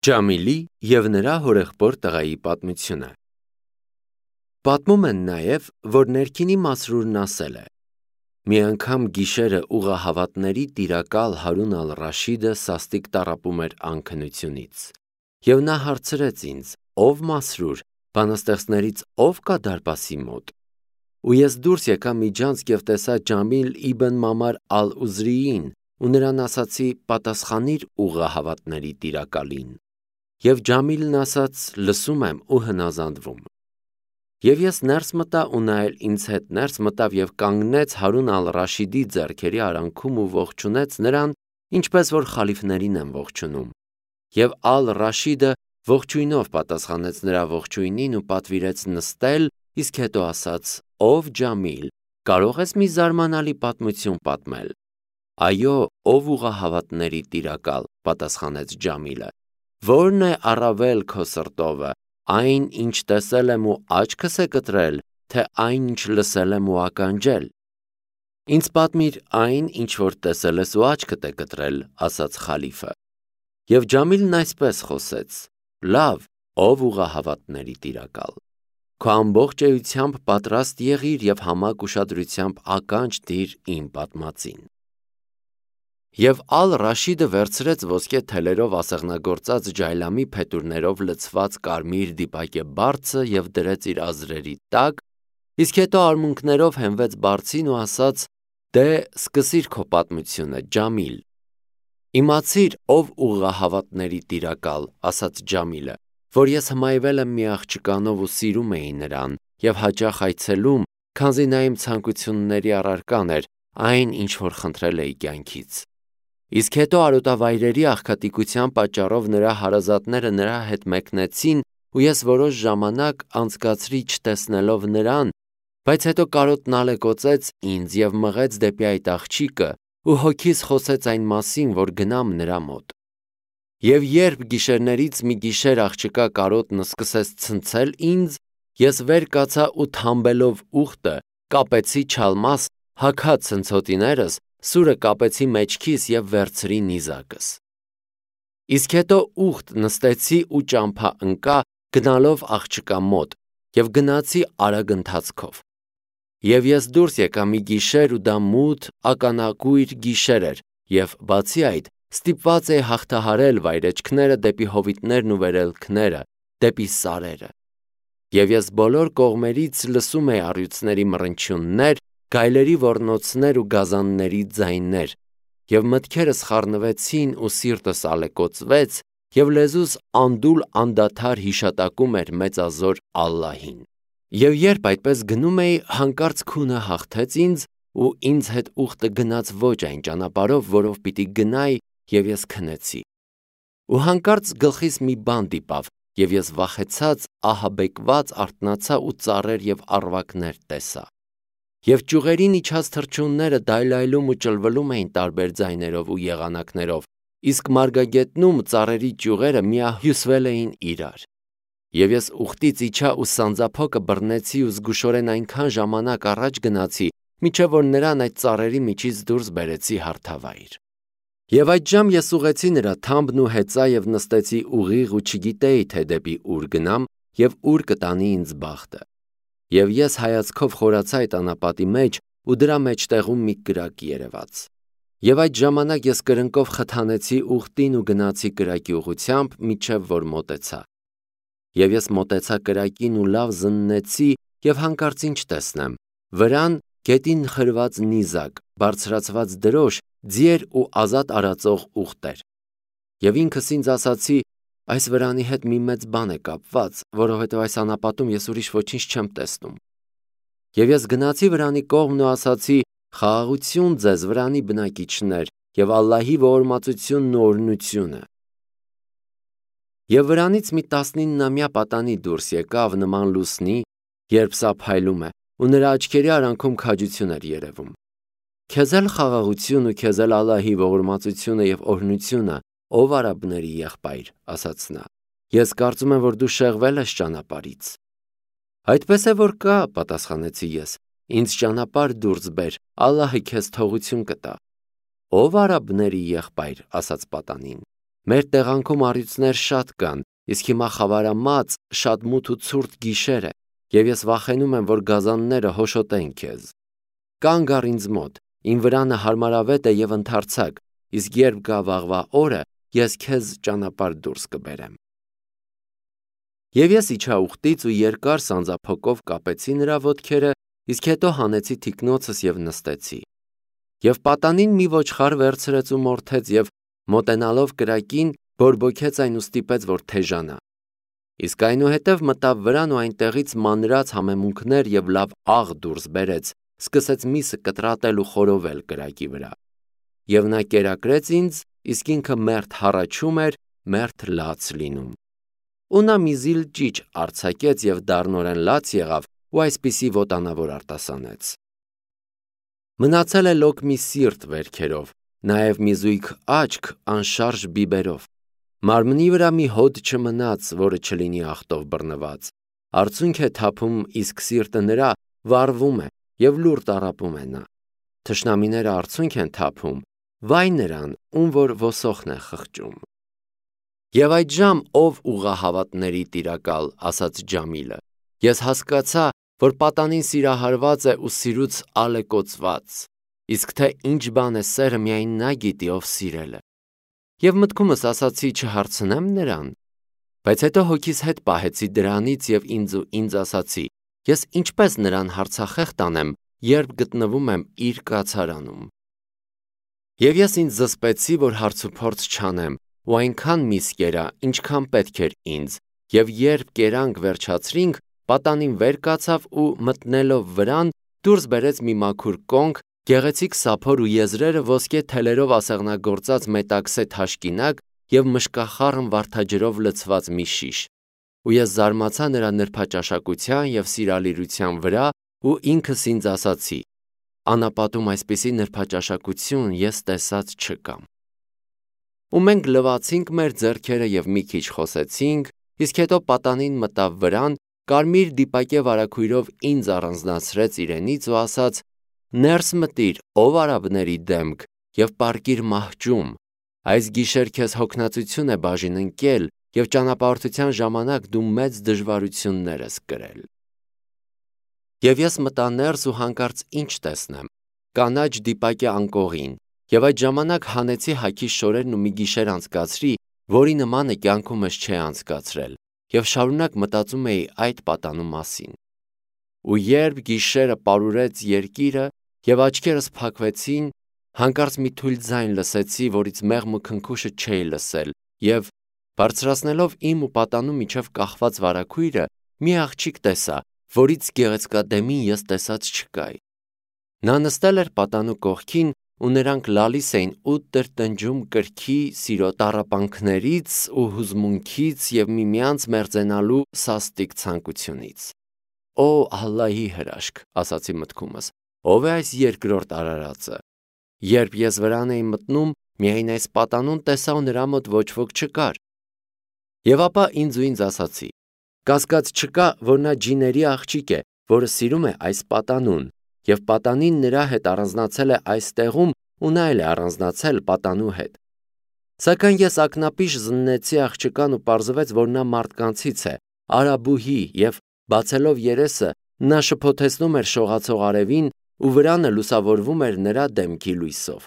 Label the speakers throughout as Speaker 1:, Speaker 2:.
Speaker 1: Ջամիլի և նրա հորեղբոր տղայի պատմությունը։ Պատմում են նաև, որ ներքինի Մասրուրն ասել է. «Մի անգամ գիշերը ուղղահավատների տիրակալ Հարուն ալ-Ռաշիդը սաստիկ տառապում էր անքնությունից, և նա հարցրեց ինձ. «Ով Մասրուր, բանաստեղծներից ով կա դարպասի մոտ»։ Ու ես դուրս եկա միջանցք և տեսա Ջամիլ իբն Մամար ալ-Ուզրիին ու նրան ասացի. «Պատասխանիր ուղղահավատների տիրակալին»։ Եվ Ջամիլն ասաց. «Լսում եմ ու հնազանդվում»։ Եվ ես ներս մտա ու նա էլ ինձ հետ ներս մտավ և կանգնեց Հարուն ալ-Ռաշիդի ձեռքերի արանքում ու ողջունեց նրան, ինչպես որ խալիֆներին են ողջունում։ Եվ ալ-Ռաշիդը ողջույնով պատասխանեց նրա ողջույնին ու պատվիրեց նստել, իսկ հետո ասաց. «Ով Ջամիլ, կարո՞ղ ես մի զարմանալի պատմություն պատմել»։ «Այո, ով ուղղահավատների տիրակալ», պատասխանեց Ջամիլը, «Ո՞րն է առավել քո սրտովը, այն, ինչ տեսել եմ ու աչքս է կտրել, թե այն, ինչ լսել եմ ու ականջել»։ «Ինձ պատմիր այն, ինչ որ տեսել ես ու աչքդ է կտրել», ասաց խալիֆը։ Եվ Ջամիլն այսպես խոսեց. «Լավ, ով ուղղահավատների տիրակալ, քո ամբողջ էությամբ պատրաստ եղիր և համակ ուշադրությամբ ականջ դիր իմ պատմածին»։ Եվ ալ-Ռաշիդը վերցրեց ոսկե թելերով ասեղնագործած ջայլամի փետուրներով լցված կարմիր դիպակե բարձը և դրեց իր ազրերի տակ, իսկ հետո արմունկներով հենվեց բարձին ու ասաց. «Դե, սկսիր քո պատմությունը, Ջամիլ»։ «Իմացիր, ով ուղղահավատների տիրակալ», ասաց Ջամիլը, «որ ես հմայվել եմ մի աղջկանով ու սիրում էի նրան և հաճախ այցելում, քանզի նա իմ ցանկությունների առարկան էր, այն, ինչ որ խնդրել էի կյանքից։ Իսկ հետո արոտավայրերի աղքատիկության պատճառով նրա հարազատները նրա հետ մեկնեցին ու ես որոշ ժամանակ անցկացրի չտեսնելով նրան, բայց հետո կարոտն ալեկոծեց ինձ և մղեց դեպի այդ աղջիկը ու հոգիս խոսեց այն մասին, որ գնամ նրա մոտ։ Եվ երբ գիշերներից մի գիշեր աղջկա կարոտն սկսեց ցնցել ինձ, ես վեր կացա ու թամբելով ուղտը, կապեցի չալմաս, հագա ցնցոտիներս, սուրը կապեցի մեջքիս և վերցրի նիզակս։ Իսկ հետո ուղտ նստեցի ու ճամփա ընկա գնալով աղջկա մոտ և գնացի արագ ընթացքով։ Եվ ես դուրս եկա մի գիշեր ու դա մութ, ականակույր գիշեր էր և, բացի այդ, ստիպված էի հաղթահարել վայրէջքները դեպի հովիտներն ու վերելքները, դեպի սարերը։ Եվ ես բոլոր կողմերից լսում էի առյուծների մռնչյուններ, գայլերի ոռնոցներ ու գազանների ձայներ, և մտքերս խառնվեցին ու սիրտս ալեկոծվեց, և լեզուս անդուլ անդադար հիշատակում էր մեծազոր Ալլահին։ Եվ երբ այդպես գնում էի, հանկարծ քունը հաղթեց ինձ ու ինձ հետ ուղտը գնաց ոչ այն ճանապարհով, որով պիտի գնայի, և ես քնեցի։ Ու հանկարծ գլխիս մի բան դիպավ, և ես վախեցած, ահաբեկված արթնացա ու ծառեր և առվակներ տեսա։ Եվ ճյուղերին իջած թռչունները դայլայլում ու ճլվլում էին տարբեր ձայներով ու եղանակներով, իսկ մարգագետնում ծառերի ճյուղերը միահյուսվել էին իրար։ Եվ ես ուղտից իջա ու սանձափոկը բռնեցի ու զգուշորեն այնքան ժամանակ առաջ գնացի, մինչև որ նրան այդ ծառերի միջից դուրս բերեցի հարթավայր։ Եվ այդժամ ես ուղղեցի նրա թամբն ու հեծա և նստեցի ուղիղ ու չգիտեի, թե դեպի ուր գնամ և ուր կտանի ինձ բախտը։ Եվ ես հայացքով խորացա այդ անապատի մեջ ու դրա մեջտեղում մի կրակ երևաց։ Եվ այդ ժամանակ ես կրնկով խթանեցի ուղտին ու գնացի կրակի ուղղությամբ, մինչև որ մոտեցա։ Եվ ես մոտեցա կրակին ու լավ զննեցի և հանկարծ ինչ տեսնեմ. վրան գետին խրված նիզակ, բարձրացված դրոշ, ձիեր ու ազատ արածող ուղտեր։ Եվ ինքս ինձ ասացի. այս վրանի հետ մի մեծ բան է կապված, որովհետև այս անապատում ես ուրիշ ոչինչ չեմ տեսնում։ Եվ ես գնացի վրանի կողմն ու ասացի. «Խաղաղություն ձեզ, վրանի բնակիչներ, և Ալլահի ողորմածությունն ու օրհնությունը»։ Եվ վրանից մի 19-ամյա պատանի դուրս եկավ նման լուսնի, երբ սա փայլում է, ու նրա աչքերի արանքում քաջություն էր երևում։ «Քեզ էլ խաղաղություն ու քեզ էլ Ալլահի ողորմածությունը և օրհնությունը, ով արաբների եղբայր», ասաց նա։ «Ես կարծում եմ, որ դու շեղվել ես ճանապարհից»։ «Այդպես է որ կա», պատասխանեցի ես, «ինձ ճանապարհ դուրս բեր, Ալլահը քեզ թողություն կտա»։ «Ով արաբների եղբայր», ասաց պատանին։ Մեր տեղանքում առյուծներ շատ կան, իսկ հիմա խավարամած, շատ մութ ու ցուրտ գիշեր է, եւ ես վախենում եմ, որ գազանները հոշոտեն քեզ։ Կանգ առ ինձ մոտ, իմ վրանը հարմարավետ է եւ ընդարձակ, իսկ երբ գա վաղվա օրը, ես քեզ ճանապարհ դուրս կբերեմ։ Եվ ես իջա ուխտից ու երկար սանձափոկով կապեցի նրա ոտքերը, իսկ հետո հանեցի թիկնոցս եւ նստեցի։ Եվ պատանին մի ոչխար վերցրեց ու մորթեց եւ մոտենալով կրակին բորբոքեց այն ու ստիպեց, որ թեժանա։ Իսկ այնուհետև մտավ վրան ու այնտեղից մանրած համեմունքներ եւ լավ աղ դուրս բերեց, սկսեց միսը կտրատել ու խորովել կրակի վրա։ Եվ նա կերակրեց ինձ, իսկ ինքը մերթ հառաչում էր, մերթ լաց լինում։ Ու նա մի զիլ ճիճ արձակեց եւ դառնորեն լաց եղավ ու այսպիսի ոտանավոր արտասանեց։ Մնացել է լոկ մի սիրտ վերքերով, նաեւ մի զույգ աչք անշարժ բիբերով։ Մարմնի վրա մի հոդ չմնաց, որը չլինի աղտով բռնված։ Արցունք է թափում, իսկ սիրտը նրա վառվում է եւ լուր տառապում է նա։ Թշնամիները արցունք են թափում, վայ նրան, ում որ ոսոխն է խղճում։ Եվ այդժամ ով ուղղահավատների տիրակալ, ասաց Ջամիլը, ես հասկացա, որ պատանին սիրահարված է ու սիրուց ալեկոծված, իսկ թե ինչ բան է սերը միայն նա գիտի, ով սիրել է։ Եվ մտքումս ասացի չհարցնեմ նրան, բայց հետո հոգիս հետ պահեցի դրանից եւ ինձ ասացի, ես ինչպես նրան հարցախեղ տանեմ, երբ գտնվում եմ իր կացարանում։ Եվ ես ինձ զսպեցի, որ հարցուփորձ չանեմ, ու այնքան միս կերա, ինչքան պետք էր ինձ, եւ երբ կերանք վերջացրինք, պատանին վեր կացավ ու մտնելով վրան, դուրս բերեց մի մաքուր կոնք, գեղեցիկ սափոր ու եզրերը ոսկե թելերով ասեղնագործած մետաքսե թաշկինակ եւ մշկախառն վարդաջրով լցված մի շիշ։ Ու ես զարմացա նրա նրբաճաշակության եւ սիրալիրության վրա ու ինքս ինձ ասացի. անապատում այսպիսի նրբաճաշակություն ես տեսած չկամ։ Ու մենք լվացինք մեր ձեռքերը եւ մի քիչ խոսեցինք, իսկ հետո պատանին մտավ վրան, կարմիր դիպակե վարագույրով ինձ առանձնացրեց իրենից ու ասաց. ներս մտիր, ով արաբների դեմք, եւ պառկիր մահճում, այս գիշեր քեզ հոգնածություն է բաժին ընկել եւ ճանապարհորդության ժամանակ դու մեծ դժվարություններ ես կրել։ Եվ ես մտա ներս ու հանկարծ ինչ տեսնեմ, կանաչ դիպակե անկողին, եւ այդ ժամանակ հանեցի հագի շորերն ու մի գիշեր անցկացրի, որի նմանը կյանքումս չէ անցկացրել, եւ շարունակ մտածում էի այդ պատանու մասին։ Ու երբ գիշերը պարուրեց երկիրը եւ աչքերս փակվեցին, հանկարծ մի թույլ ձայն լսեցի, որից մեղմ ու քնքուշը չէի լսել, եւ բարձրացնելով իմ ու պատանու միջև կախված վարագույրը, մի աղջիկ տեսա, որից գեղեցկադեմին ես տեսած չկայի։ Նա նստել էր պատանու կողքին ու նրանք լալիս էին ու տրտնջում կրքի, սիրո տառապանքներից ու հուզմունքից եւ միմյանց մերձենալու սաստիկ ցանկությունից։ Օ Ալլահի հրաշք, ասացի մտքումս, ով է այս երկրորդ արարածը։ Երբ ես վրան էի մտնում, միայն այս պատանուն տեսա ու նրա մոտ ոչ ոք չկար։ Եվ ապա ինձ ասացի. կասկած չկա, որ նա ջիների աղջիկ է, որը սիրում է այս պատանուն, եւ պատանին նրա հետ առանձնացել է այս տեղում ու նա էլ է առանձնացել պատանու հետ։ Սակայն ես ակնապիշ զննեցի աղջկան ու պարզվեց, որ նա մարդկանցից է, արաբուհի, եւ բացելով երեսը, նա շփոթեցնում էր շողացող արևին ու վրանը լուսավորվում էր նրա դեմքի լույսով։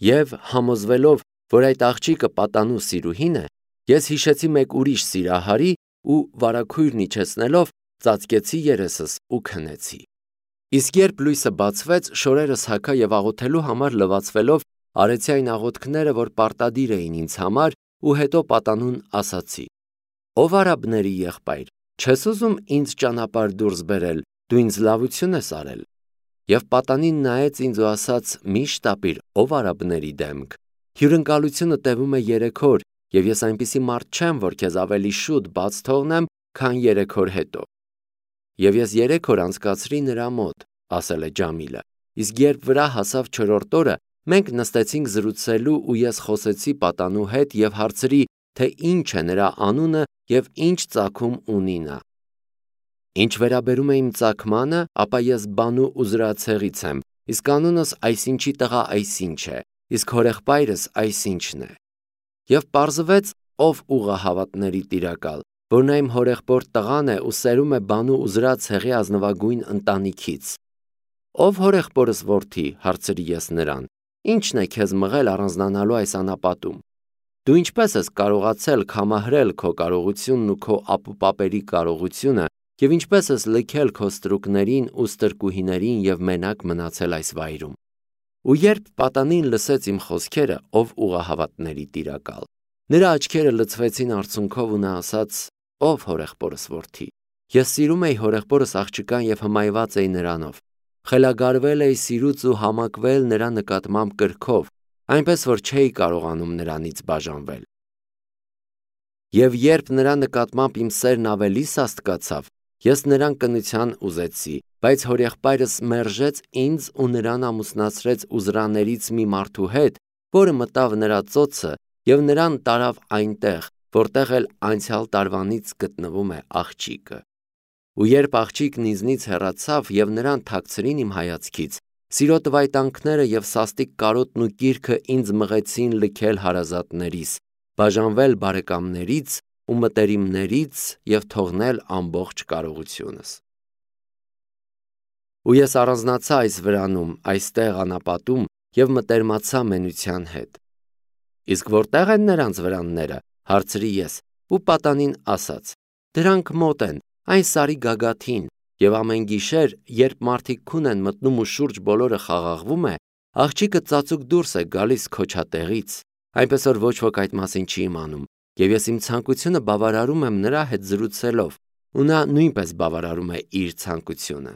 Speaker 1: Եվ համոզվելով, որ այդ աղջիկը պատանու սիրուհին է, ես հիշեցի մեկ ուրիշ սիրահարի ու վարագույրն իջեցնելով ծածկեցի երեսս ու քնեցի։ Իսկ երբ լույսը բացվեց, շորերս հագա եւ աղոթելու համար լվացվելով արեցի այն աղոթքները, որ պարտադիր էին ինձ համար, ու հետո պատանուն ասացի. ով արաբների եղբայր, չես ուզում ինձ ճանապարհ դուրս բերել, դու ինձ լավություն ես արել։ Եվ պատանին նայեց ինձ ու ասաց. մի շտապիր, ով արաբների դեմք, հյուրընկալությունը տևում է 3 օր, եւ ես այնպիսի մարդ չեմ, որ քեզ ավելի շուտ բաց թողնեմ, քան 3 օր հետո։ Եվ ես 3 օր անցկացրի նրա մոտ, ասել է Ջամիլը, իսկ երբ վրա հասավ 4-րդ օրը, մենք նստեցինք զրուցելու ու ես խոսեցի պատանու հետ եւ հարցրի, թե ինչ է նրա անունը եւ ինչ ծագում ունի նա։ Ինչ վերաբերում է իմ ծագմանը, ապա ես Բանու Ուզրացեղից եմ, իսկ անունս այսինչի տղա այսինչ է, իսկ հորեղբայրս այսինչն է։ Եվ պարզվեց, ով ուղղահավատների տիրակալ, որ նա իմ հորեղբորդ տղան է ու սերում է բանու ուզրած հեղի ազնվագույն ընտանիքից։ Ով հորեղբորս որդի, հարցրի ես նրան, ի՞նչն է քեզ մղել առանձնանալու այս անապատում։ Դու ինչպես ես կարողացել կամահրել քո կարողությունն ու քո ապուպապերի կարողությունը և ինչպես ես լքել քո ստրուկներին ու ստրկուհիներին և մենակ մնացել այս վայրում։ Ու երբ պատանին լսեց իմ խոսքերը, ով ուղղահավատների տիրակալ, նրա աչքերը լցվեցին արցունքով ու նա ասաց. «Ով հորեղբորս որդի, ես սիրում էի հորեղբորս աղջկան և հմայված էի նրանով, խելագարվել էի սիրուց ու համակվել նրա նկատմամբ կրքով, այնպես որ չէի կարողանում նրանից բաժանվել։ Եվ երբ նրա նկատմամբ իմ սերն ավելի սաստկացավ, ես նրան կնության ուզեցի, բայց հորեղբայրս մերժեց ինձ ու նրան ամուսնացրեց ուզրաներից մի մարդու հետ, որը մտավ նրա ծոցը և նրան տարավ այնտեղ, որտեղ էլ անցյալ տարվանից գտնվում է աղջիկը։ Ու երբ աղջիկն ինձնից հեռացավ և նրան թաքցրին իմ հայացքից, սիրո տվայտանքները և սաստիկ կարոտն ու կիրքը ինձ մղեցին լքել հարազատներիս, բաժանվել բարեկամներից ու մտերիմներից և թողնել ամբողջ կարողությունս։ Ու ես առանձնացա այս վրանում, այստեղ անապատում և մտերմացա մենության հետ։ Իսկ որտեղ են նրանց վրանները, հարցրի ես, ու պատանին ասաց. դրանք մոտ են, այն սարի գագաթին, և ամեն գիշեր, երբ մարդիկ քուն են մտնում ու շուրջ բոլորը խաղաղվում է, աղջիկը ծածուկ դուրս է գալիս քոչատեղից, այնպես որ ոչ ոք այդ մասին չի իմանում, և ես իմ ցանկությունը բավարարում եմ նրա հետ զրուցելով, ու նա նույնպես բավարարում է իր ցանկությունը։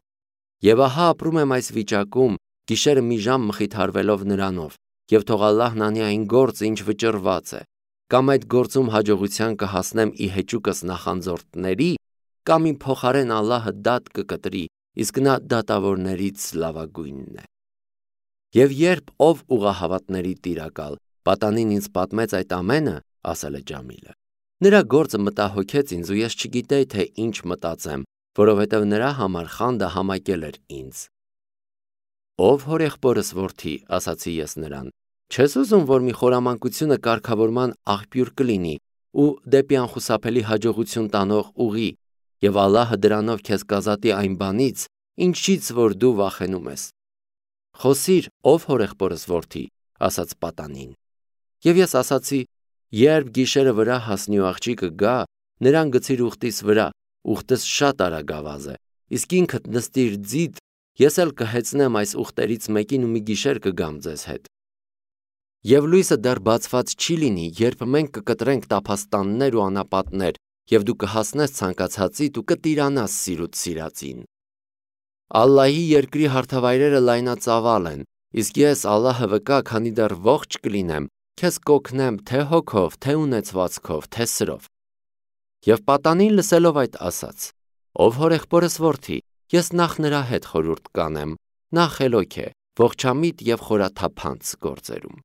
Speaker 1: Եվ ահա ապրում եմ այս վիճակում, գիշերը մի ժամ մխիթարվելով նրանով, և թող Ալլահն անի այն գործը, ինչ վճռված է, կամ այդ գործում հաջողության կհասնեմ ի հեճուկս նախանձորդների, կամ իմ փոխարեն Ալլահը դատ կկտրի, իսկ նա դատավորներից լավագույնն է։ Եվ երբ ով ուղղահավատների տիրակալ, պատանին ինձ պատմեց այդ ամենը, ասել է Ջամիլը, նրա գործը մտահոգեց ինձ ու ես չգիտեի, թե ինչ մտածեմ, որովհետև նրա համար խանդը համակել էր ինձ։ Ով հորեղբորս որդի, ասացի ես նրան, չես ուզում, որ մի խորամանկությունը կարգավորման աղբյուր կլինի ու դեպի անխուսափելի հաջողություն տանող ուղի, և Ալլահը դրանով քեզ կազատի այն բանից, ինչից որ դու վախենում ես։ Խոսիր, ով հորեղբորս որդի, ասաց պատանին։ Եվ ես ասացի. երբ գիշերը վրա հասնի ու աղջիկը գա, նրան գցիր ուղտիս վրա, ուղտս շատ արագավազ է, իսկ ինքդ նստիր ձիթ, ես էլ կհեծնեմ այս ուղտերից մեկին ու մի գիշեր կգամ ձեզ հետ։ Եվ լույսը դեռ բացված չի լինի, երբ մենք կկտրենք տափաստաններ ու անապատներ, և դու կհասնես ցանկացածիդ ու կտիրանաս սիրուց սիրածին։ Ալլահի երկրի հարթավայրերը լայնածավալ են, իսկ ես Ալլահը վկա, քանի դեռ ողջ կլինեմ, քեզ կօգնեմ թե հոգով, թե ունեցվածքով, թե սրով։ Եվ պատանին լսելով այդ ասաց. ով հորեղբորս որդի, ես նախ նրա հետ խորհուրդ կանեմ, նա խելոք է, ողջամիտ և խորաթափանց գործերում։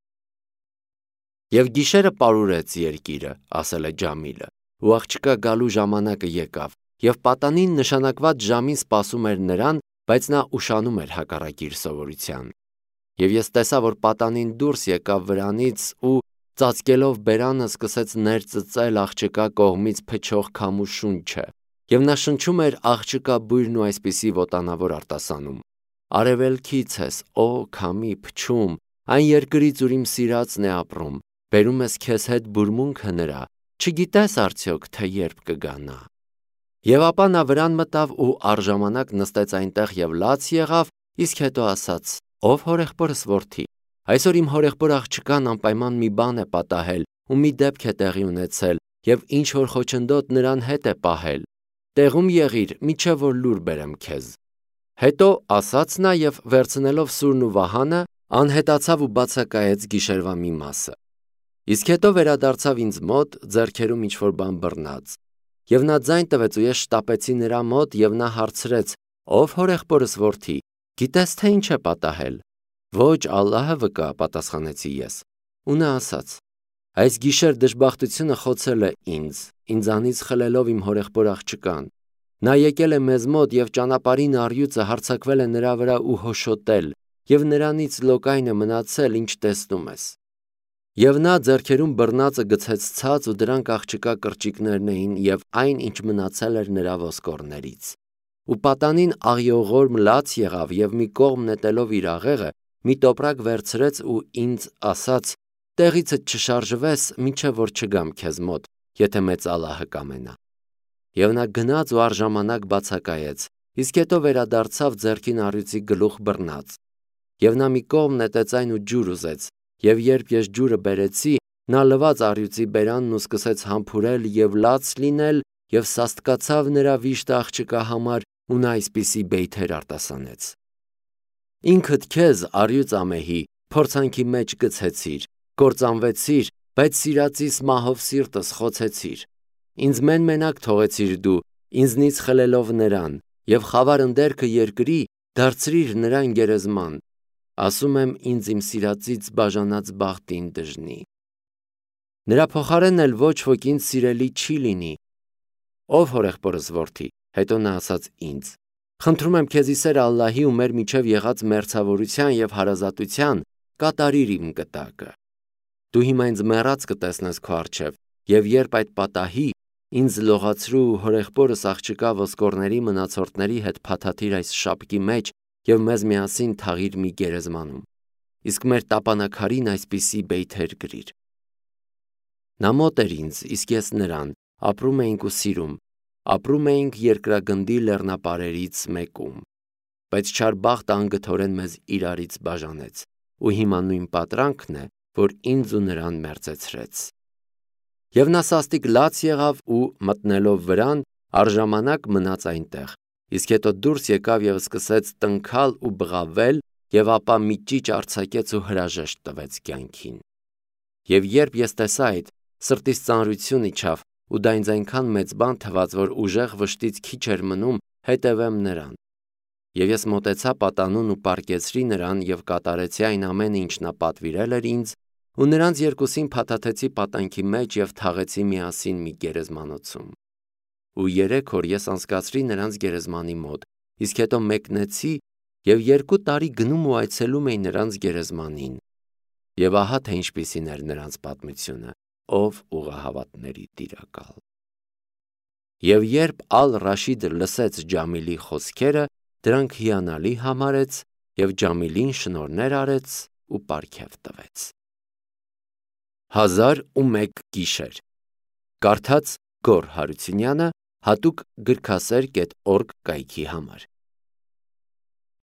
Speaker 1: Եվ գիշերը պարուրեց երկիրը, ասել է Ջամիլը, ու աղջկա գալու ժամանակը եկավ, և պատանին նշանակված ժամին սպասում էր նրան, բայց նա ուշանում էր հակառակ իր սովորության։ Եվ ես տեսա, որ պատանին դուրս եկավ վրանից ու ծածկելով բերանը սկսեց ներծծել աղջկա կողմից փչող քամու շունչը, և նա շնչում էր աղջկա բույրն ու այսպիսի ոտանավոր արտասանում. Արևելքից ես, օ քամի փչում, այն երկրից, ուր իմ սիրածն է ապրում, բերում ես քեզ հետ բուրմունքը նրա, չգիտես արդյոք, թե երբ կգա նա։ Եվ ապա նա վրան մտավ ու առժամանակ նստեց այնտեղ և լաց եղավ, իսկ հետո ասաց. ով հորեղբորս որդի, այսօր իմ հորեղբոր աղջկան անպայման մի բան է պատահել ու մի դեպք է տեղի ունեցել, և ինչ որ խոչընդոտ նրան հետ է պահել, տեղում եղիր, մինչև որ լուր բերեմ քեզ։ Հետո ասաց նա և վերցնելով սուրն ու վահանը, անհետացավ ու բացակայեց գիշերվա մի մասը։ Իսկ հետո վերադարձավ ինձ մոտ, ձեռքերում ինչ-որ բան բռնած։ Եվ նա ձայն տվեց ու ես շտապեցի նրա մոտ և նա հարցրեց. ով հորեղբորս որդի, գիտես թե ինչ է պատահել։ Ոչ, Ալլահը վկա, պատասխանեցի ես։ Ու նա ասաց. այս գիշեր դժբախտությունը խոցել է ինձանից խլելով իմ հորեղբոր աղջկան։ Նա եկել է մեզ մոտ և ճանապարհին առյուծը հարձակվել է նրա վրա ու հոշոտել, և նրանից լոկայն է մնացել, ինչ տեսնում ես։ Եվ նա ձեռքերում բռնածը գցեց ցած ու դրանք աղջկա կրճիկներն էին և այն, ինչ մնացել էր նրա ոսկորներից։ Ու պատանին աղիողորմ լաց եղավ և մի կողմ նետելով իր աղեղը, մի տոպրակ վերցրեց ու ինձ ասաց. «Տեղիցդ չշարժվես, մինչև որ չգամ քեզ մոտ, եթե մեծ Ալլահը կամենա»։ Եվ նա գնաց ու առժամանակ բացակայեց, իսկ հետո վերադարձավ ձեռքին առյուծի գլուխ բռնած։ Եվ նա մի կողմ նետեց այն ու ջուր ուզեց, և երբ ես ջուրը բերեցի, նա լվաց առյուծի բերանն ու սկսեց համբուրել և լաց լինել և սաստկացավ նրա վիշտը աղջկա համար ու նա այսպիսի բեյթեր արտասանեց. «Ինքդ քեզ, առյուծ ամեհի, փորձանքի մեջ գցեցիր, կործանվեցիր, բայց սիրածիս մահով սիրտս խոցեցիր։ Ինձ մեն-մենակ թողեցիր դու, ինձնից խլելով նրան, և խավար ընդերքը երկրի դարձրիր նրան գերեզման։ Ասում եմ ինձ իմ սիրածից բաժանած բախտին դժնի։ Նրա փոխարեն էլ ոչ ոք ինձ սիրելի չի լինի։ Ով հորեղբորս որդի, հետո նա ասաց ինձ. խնդրում եմ քեզ ի սեր Ալլահի ու մեր միջև եղած մերձավորության և հարազատության կատարիր իմ կտակը։ Դու հիմա ինձ մեռած կտեսնես քո առջև, և երբ այդ պատահի, ինձ լողացրու ու հորեղբորս աղջկա ոսկորների մնացորդների հետ փաթաթիր այս շապկի մեջ և մեզ միասին թաղիր մի գերեզմանում, իսկ մեր տապանաքարին այսպիսի բեյթեր գրիր։ Նա մոտ էր ինձ, իսկ ես նրան, ապրում էինք ու սիրում, ապրում էինք երկրագնդի լեռնապարերից մեկում, բայց չար բախտը անգթորեն մեզ իրարից բաժանեց, ու հիմա նույն պատրանքն է, որ ինձ ու նրան մերձեցրեց։ Եվ նա սաստիկ լաց եղավ ու, մտնելով վրան, առժամանակ մնաց այնտեղ, իսկ հետո դուրս եկավ և սկսեց տնքալ ու բղավել և ապա մի ճիճ արձակեց ու հրաժեշտ տվեց կյանքին։ Եվ երբ ես տեսա այդ, սրտիս ծանրություն իջավ ու դա ինձ այնքան մեծ բան թվաց, որ ուժեղ վշտից քիչ էր մնում հետևեմ նրան։ Եվ ես մոտեցա պատանուն ու պառկեցրի նրան և կատարեցի այն ամենը, ինչ նա պատվիրել էր ինձ, ու նրանց երկուսին փաթաթեցի պատանքի մեջ և թաղեցի միասին մի գերեզմանոցում։ Ու 3 օր ես անցկացրի նրանց գերեզմանի մոտ, իսկ հետո մեկնեցի և 2 տարի գնում ու այցելում էի նրանց գերեզմանին։ Եվ ահա թե ինչպիսին էր նրանց պատմությունը, ով ուղղահավատների տիրակալ։ Եվ երբ Ալ-Ռաշիդը լսեց Ջամիլի խոսքերը, դրանք հիանալի համարեց և Ջամիլին շնորհներ արեց ու պարգև տվեց։ 1001 գիշեր։ Կարդաց Գոռ Հարությունյանը հատուկ գրքասեր.org կայքի համար։